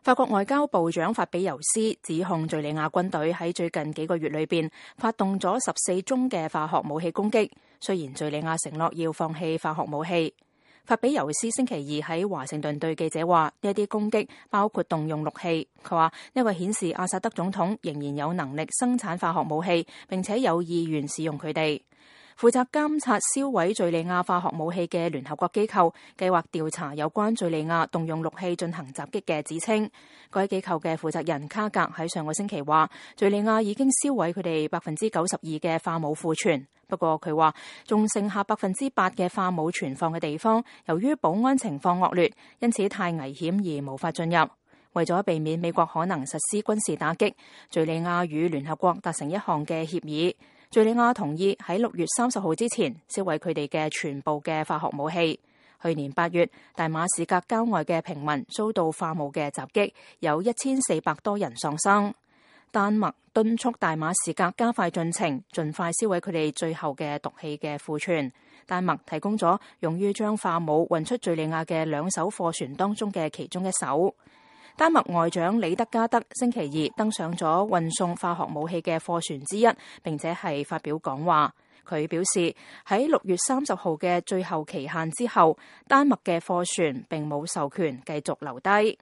法國外交部長法比尤斯指控敘利亞軍隊喺最近幾個月裏邊發動咗14宗嘅化學武器攻擊，雖然敘利亞承諾要放棄化學武器。法比尤斯星期二喺華盛頓對記者話，呢一啲攻擊包括動用氯氣。佢話呢個顯示阿薩德總統仍然有能力生產化學武器，並且有意願使用佢哋。負責監察銷毀敘利亞化學武器嘅聯合國機構計劃調查有關敘利亞動用氯氣進行襲擊嘅指稱。該機構嘅負責人卡格喺上個星期話，敘利亞已經銷毀佢哋92%嘅化武庫存。不過佢話仲剩下8%嘅化武存放嘅地方，由於保安情況惡劣，因此太危險而無法進入。為咗避免美國可能實施軍事打擊，敘利亞與聯合國達成一項嘅協議。敘利亞同意喺6月30號之前銷毀佢哋嘅全部嘅化學武器。去年8月，大馬士革郊外嘅平民遭到化武嘅襲擊，有1400多人喪生。丹麥敦促大馬士革加快進程，盡快銷毀佢哋最後嘅毒氣嘅庫存。丹麥提供咗用於將化武運出敘利亞嘅2艘貨船當中嘅其中一艘。丹麥外長里德加德星期二登上咗運送化學武器嘅貨船之一，並且係發表講話。佢表示喺6月30號嘅最後期限之後，丹麥嘅貨船並冇授權繼續留低。